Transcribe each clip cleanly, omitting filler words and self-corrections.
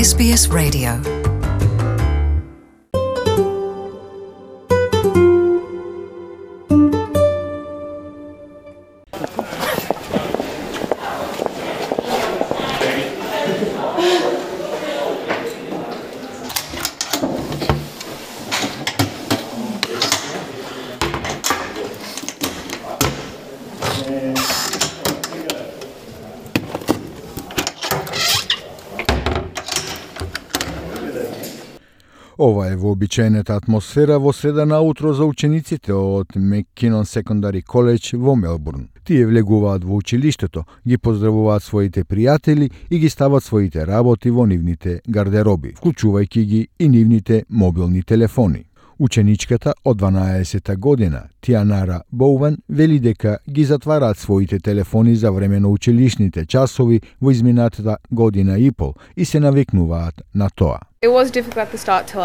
SBS Radio. Ова е вообичаената атмосфера во среда наутро за учениците од Маккинон Secondary College во Мелбурн. Тие влегуваат во училиштето, ги поздравуваат своите пријатели и ги стават своите работи во нивните гардероби, вклучувајќи ги и нивните мобилни телефони. Ученичката од 12-та година, Тианара Боувен, вели дека ги затвараат своите телефони за време на училишните часови во изминатата година и пол и се навикнуваат на тоа. It was difficult at the start to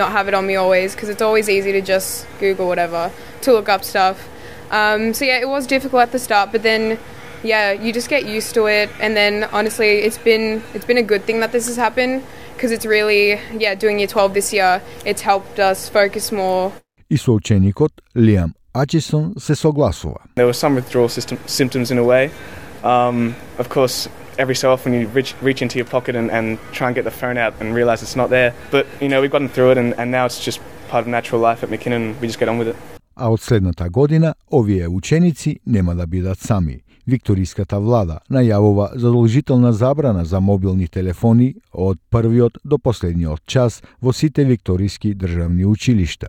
not have it on me always, because it's always easy to just Google whatever, to look up stuff. It was difficult at the start, but then, you just get used to it, and then honestly, it's been a good thing that this has happened, because it's really, doing year 12 this year, it's helped us focus more. И соученикот Лиам Ачисон се согласува. There were some withdrawal symptoms in a way. Of course, every so often you reach into your pocket and try and get the phone out and realize it's not there. But, we've gotten through it and now it's just part of natural life at McKinnon. We just get on with it. А од следната година, овие ученици нема да бидат сами. Викториската влада најавува задолжителна забрана за мобилни телефони од првиот до последниот час во сите викториски државни училишта.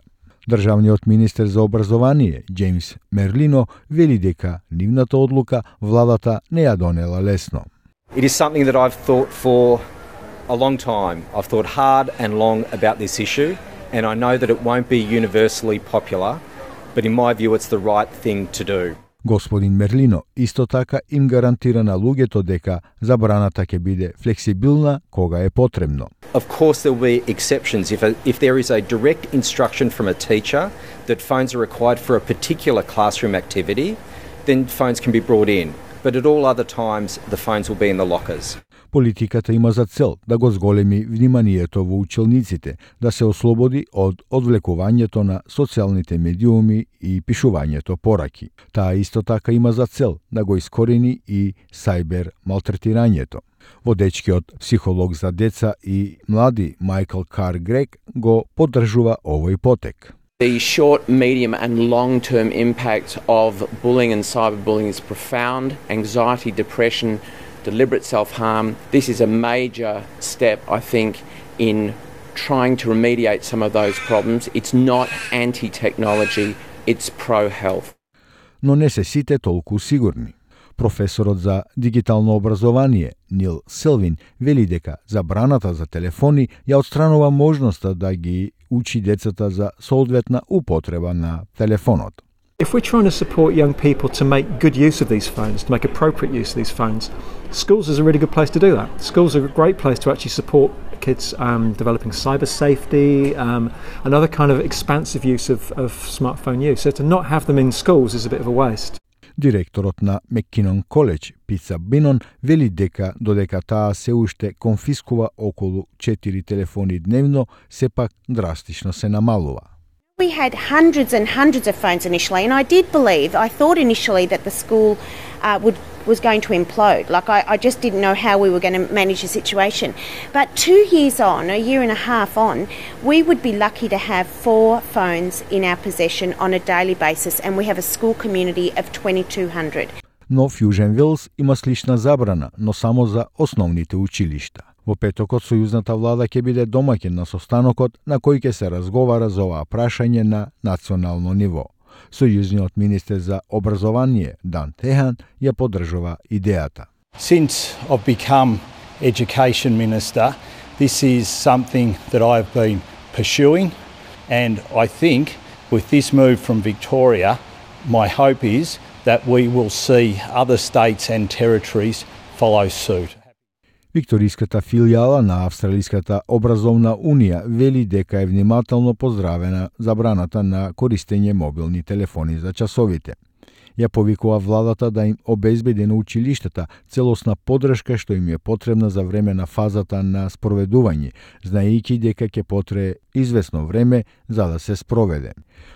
Државниот министер за образование, Джеймс Мерлино, вели дека нивната одлука владата не ја донела лесно. It is something that I've thought for a long time. I've thought hard and long about this issue, and I know that it won't be universally popular, but in my view it's the right thing to do. Господин Мерлино исто така им гарантира на луѓето дека забраната ќе биде флексибилна кога е потребно. Of course there will be exceptions if there is a direct instruction from a teacher that phones are required for a particular classroom activity, then phones can be brought in. But at all other times the phones will be in the lockers. Политиката има за цел да го зголеми вниманието во училниците, да се ослободи од одвлекувањето на социјалните медиуми и пишувањето пораки. Таа исто така има за цел да го искорени и сајбер малтретирањето. Водечкиот психолог за деца и млади Майкл Кар Грег го поддржува овој потек. The short, medium and long-term impact of bullying and cyberbullying is profound. Anxiety, depression, deliberate self-harm. This is a major step, I think, in trying to remediate some of those problems. It's not anti-technology, it's pro-health. Но не се сите толку сигурни. Професорот за дигитално образование Нил Селвин вели дека забраната за телефони ја отстранува можноста да ги учи децата за соодветна употреба на телефонот. If we're trying to support young people to make good use of these phones, to make appropriate use of these phones, schools is a really good place to do that. Schools are a great place to actually support kids developing cyber safety, another kind of expansive use of smartphone use. So to not have them in schools is a bit of a waste. Директорот на Маккинон Коледж, Питса Бинон, вели дека додека таа се уште конфискува околу 4 телефони дневно, сепак драстично се намалува. We had hundreds and hundreds of phones initially, and I thought initially that the school was going to implode. I just didn't know how we were going to manage the situation. But 2 years on, a year and a half on, we would be lucky to have 4 phones in our possession on a daily basis, and we have a school community of 2,200. Но Фјужен Вилс има слична забрана, но само за основните училишта. Во петокот сојузната влада ќе биде домаќин на состанокот на кој ќе се разговара за оваа прашање на национално ниво. Сојузниот министер за образование Дан Техан ја поддржува идејата. Since I've become education minister, this is something that I've been pursuing, and I think with this move from Victoria, my hope is that we will see other states and territories follow suit. Викториската филијала на Австралиската образовна унија вели дека е внимателно поздравена забраната на користење мобилни телефони за часовите. Ја повикува владата да им обезбеди на училиштата целосна поддршка што им е потребна за време на фазата на спроведување, знаејќи дека ќе потрае извесно време за да се спроведе.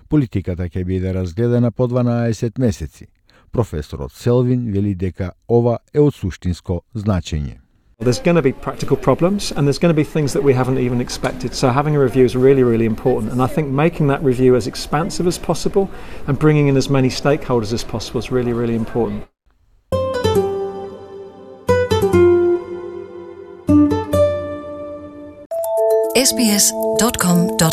Политиката ќе биде разгледана по 12 месеци. Професорот Селвин вели дека ова е од суштинско значење. There's going to be practical problems and there's going to be things that we haven't even expected. So having a review is really, really important. And I think making that review as expansive as possible and bringing in as many stakeholders as possible is really, really important. sbs.com.au